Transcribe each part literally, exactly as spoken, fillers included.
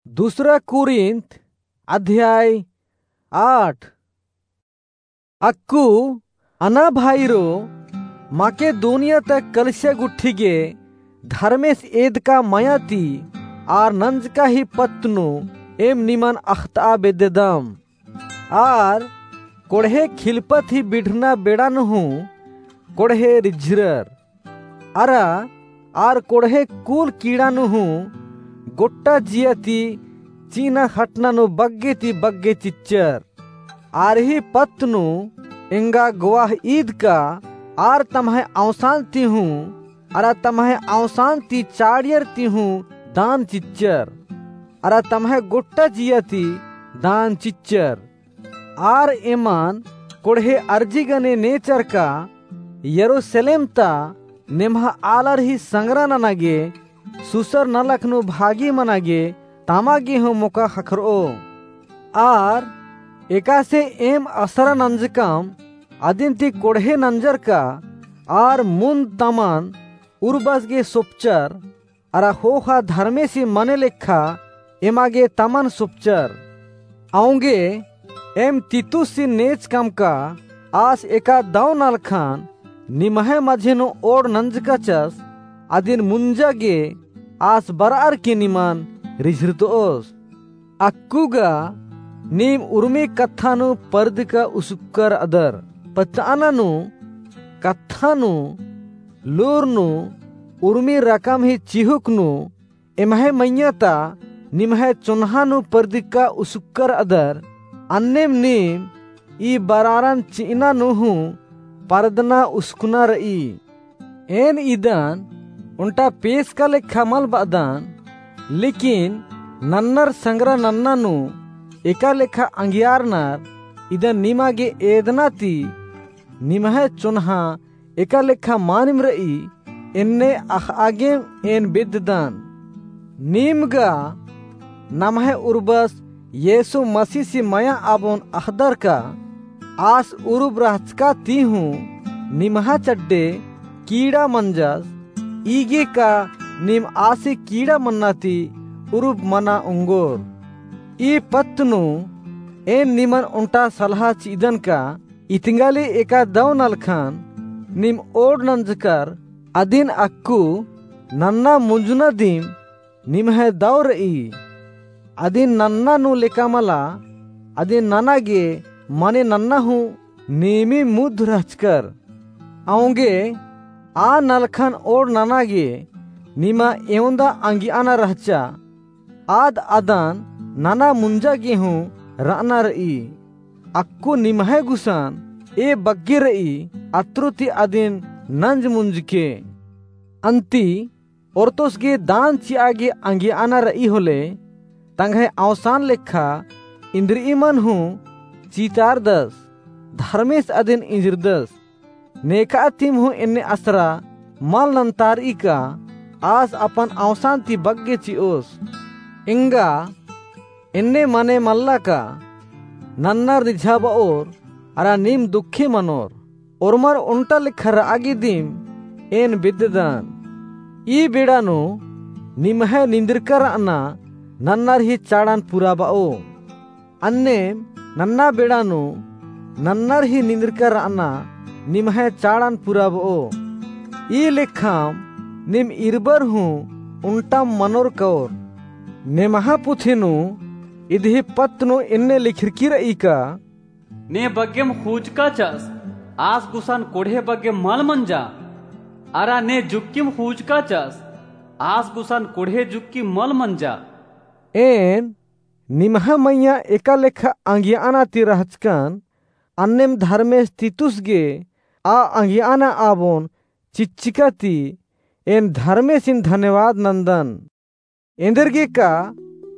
दूसरा कुरिन्थ अध्याय आठ। अक्कु अना भाईरो, मकेदोनिया ता कलिसिया गुट्ठी गे धर्मेस एदका मया ती आर नंजका ही पत्त नू एम निमन अख़तआ बेद्ददम। आर कोड़हे खिलपत ही बिढ़ना बेड़ा नू हूँ कोड़हे रिझरर। अरा आर कोड़हे कुल कीड़ा नू हूँ गोट्टा जिया ती चिअना खटना नू बग्गे ती बग्गे चिच्चर। आर ही पत्त नू एंगा गोवाह ईद का आर तम्है अवसान ती हूँ, अरा तम्है अवसान ती चाड़ियर ती हूँ दान चिच्चर, अरा तम्है गोट्टा जिया ती दान चिच्चर। आर एमन कोड़हे अर्जी गने नेचर का यरूसलेम ता नेम्हा आलर ही संगरा नना गे सुसर नलख नू भागी मना गे तमा गे हूँ मोका ख़क्खरओ। आर एकासे एम असरा नंजकम अदिन ती कोड़हे नंजर का आर मुन्द तमन उर्बस गे सोपचर, अरा ख़ोख़ा धर्मेसी मने लेखा एमा गे तमन सोपचर। औंगे एम तीतुसिन नेचकम का आस एका दौ नलखन निम्है मझी नू ओड़ नंजकाचस, अदिन मुंजा गे आस बरअर की निमन रिझरतओस। अक्कु गा नीम उर्मी कत्था नू परदका उसुक्कर अदर। पत्तअना नू, कत्था नू, लूर नू, उर्मी रकम ही चिहुक नू, एम्है मइय्याँ ता निम्है चोन्हा नू परदका उसुक्कर अदर। अन्नेम नीम ई बरारन चिअना नू हूँ परदना उसकुना रई। एन इदन ओन्टा पेसका लेखा मल बअदन, लेकिन नन्नर संगरा नन्ना नू एका लेखा अंगियारनर इदन निमा गे एदना ती निम्है चोन्हा एका लेखा मानिम रई, एन्ने अख़आ गेम एन बेद्ददन। नीम गा नम्है उर्बस येसु मसीसी मया आबोन अख़दर का आस उरुब रहचका ती हूँ निम्हा चड्डे कीड़ा मंजस, ईगे का नीम आसी कीड़ा मन्ना ती उरुब मना ओंगोर। ई पत्त नू एन निमन ओन्टा सलहा चिअदन का इतंगाली एका दौ नलखन नीम ओड़ नंजकर अदिन अक्कु नन्ना मुंजना दिम निम्है दौ रई। अदिन नन्ना नू लेका मला, अदिन नना गे मने नन्ना हूँ नीमी मुद्ध रहचकर। औंगे आ नलखन ओड़ नना गे निमा एवंदा अंगियाना रहचा, आद अदन नना मुंजा गे हूँ रअना रई। अक्कु निम्है गुसन ए बग्गे रई, अत्रो ती अदिन नंज मुंजके। अन्ती ओर्तोस गे दान चिआ गे अंगियाना रई होले, तंग्है अवसान लेखा इन्द्रिइमन हूँ चितारदस, धर्मेस अदिन इंजरदस। नेखा तिम हूँ एन्ने असरा मल नन्तारई का आस अपन अवसान ती बग्गे चिओस। एंगा एन्ने मने मल्ला का नन्नर निझाबओर अरा नीम दुखे मनोर। ओर्मर ओन्टा लेखा रआ गे दिम एन बेद्ददन। ई बेड़ा नू निम्है निंदरका रअना नन्नर ही चाड़न पुराबओ। अन्नेम नन्ना बेड़ा नू नन्नर ही निंदरका रअना निम्है चाड़न पुराबओ। ई लेखाम नीम इरबर हूँ ओन्टाम मनोर कओर। नेम्हा पुथी नू इदही पत्त नू एन्ने लिखरकी रई का, ने बग्गेम खूजकाचस, आस गुसन कोड़हे बग्गे मल मंजा। अरा ने जुक्किम खूजकाचस, आस गुसन कोड़हे जुक्की मल मंजा। एन निम्हा मइय्याँ एका लेखा अंगियाना ती रहचकन, अन्नेम धर्मेस तीतुस गे आ अंगियाना आबोन चिच्चका ती एन धर्मेसिन धन्यवाद नन्दन। एन्देरगे का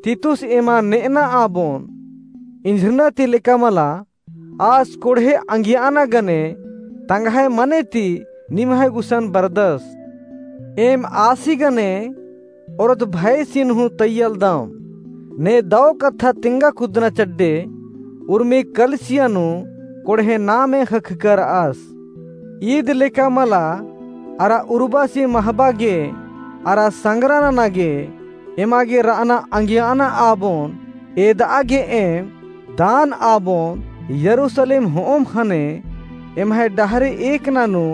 तीतुस एमा नेअना आबोन इंझरना ती लेका मला, आस कोड़हे अंगियाना गने तंग्है मने ती निम्है गुसन बरदस। एम आसी गने ओरत भयसिन हूँ तैय्यालदम। ने दौ कत्था तिंगा कुदना चड्डे उर्मी कलिसिया नू कोड़हे नामे ख़क्खका रअस। ईद लेका मला अरा उर्बासी महबा गे अरा संगरा नना गे एमा गे र'अना अंगियाना आबोन एद'आ गे एम दान आबोन यरूसलेम हो'ओम ख़ने एम्है डहरे एकना नू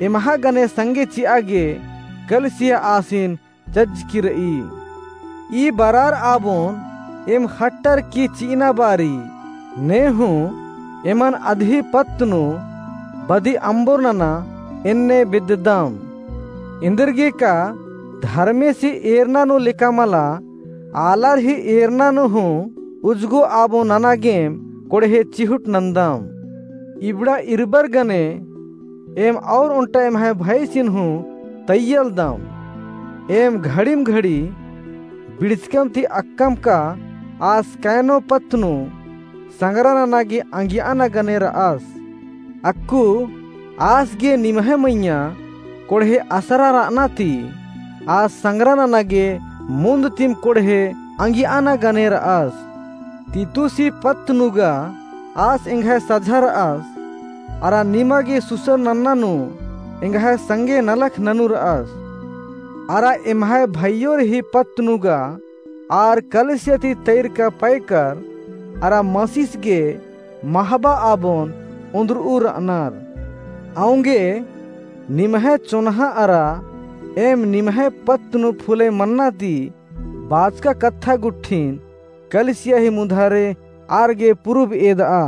एम्हा गने संगे चि'आ गे कलिसिया आसिन चज्जकी र'ई। ई बरार आबोन एम ख़ट्टर की चि'अना बारी ने हूँ एमन अदही पत्त नू बदी अम्बोर नना एन्ने बेद्ददम। एन्देरगे का धर्मेसी एरना नू लेका मला आलर ही एरना नू हूँ उज्जगो आबोन नना गेम कोड़हे चिहुट नन्दम। इबड़ा इरबर गने एम और ओन्टा एम्है भइसिन हूँ तैय्यलदम। एम घड़िम घड़ी बिड़चकम ती अक्कम का आस कैनो पत्त नू संग्रा नना गे अंगियाना गने र'अस। अक्कु आस गे निम्है मइय्याँ कोड़हे असरा र'अना ती आस संग्रा नना गे मुन्द तिम कोड़हे अंगियाना गने र'अस। तीतुसी पत्त नू गा आस एंग्है सझा र'अस, अरा निमा गे सुसर नन्ना नू एंग्है संगे नलख ननू र'अस। अरा एम्है भइयोर ही पत्त नू गा आर कलिसिया ती तैरका पैकर अरा मसीस गे महबा आबोन ओन्द्र'ऊ र'अनर। औंगे निम्है चोन्हा अरा एम निम्है पत्त नू फुले मन्ना ती बाचका कत्था गुट्ठिन कलिसिया ही मुन्धारे आर गे पुरुब एद'आ।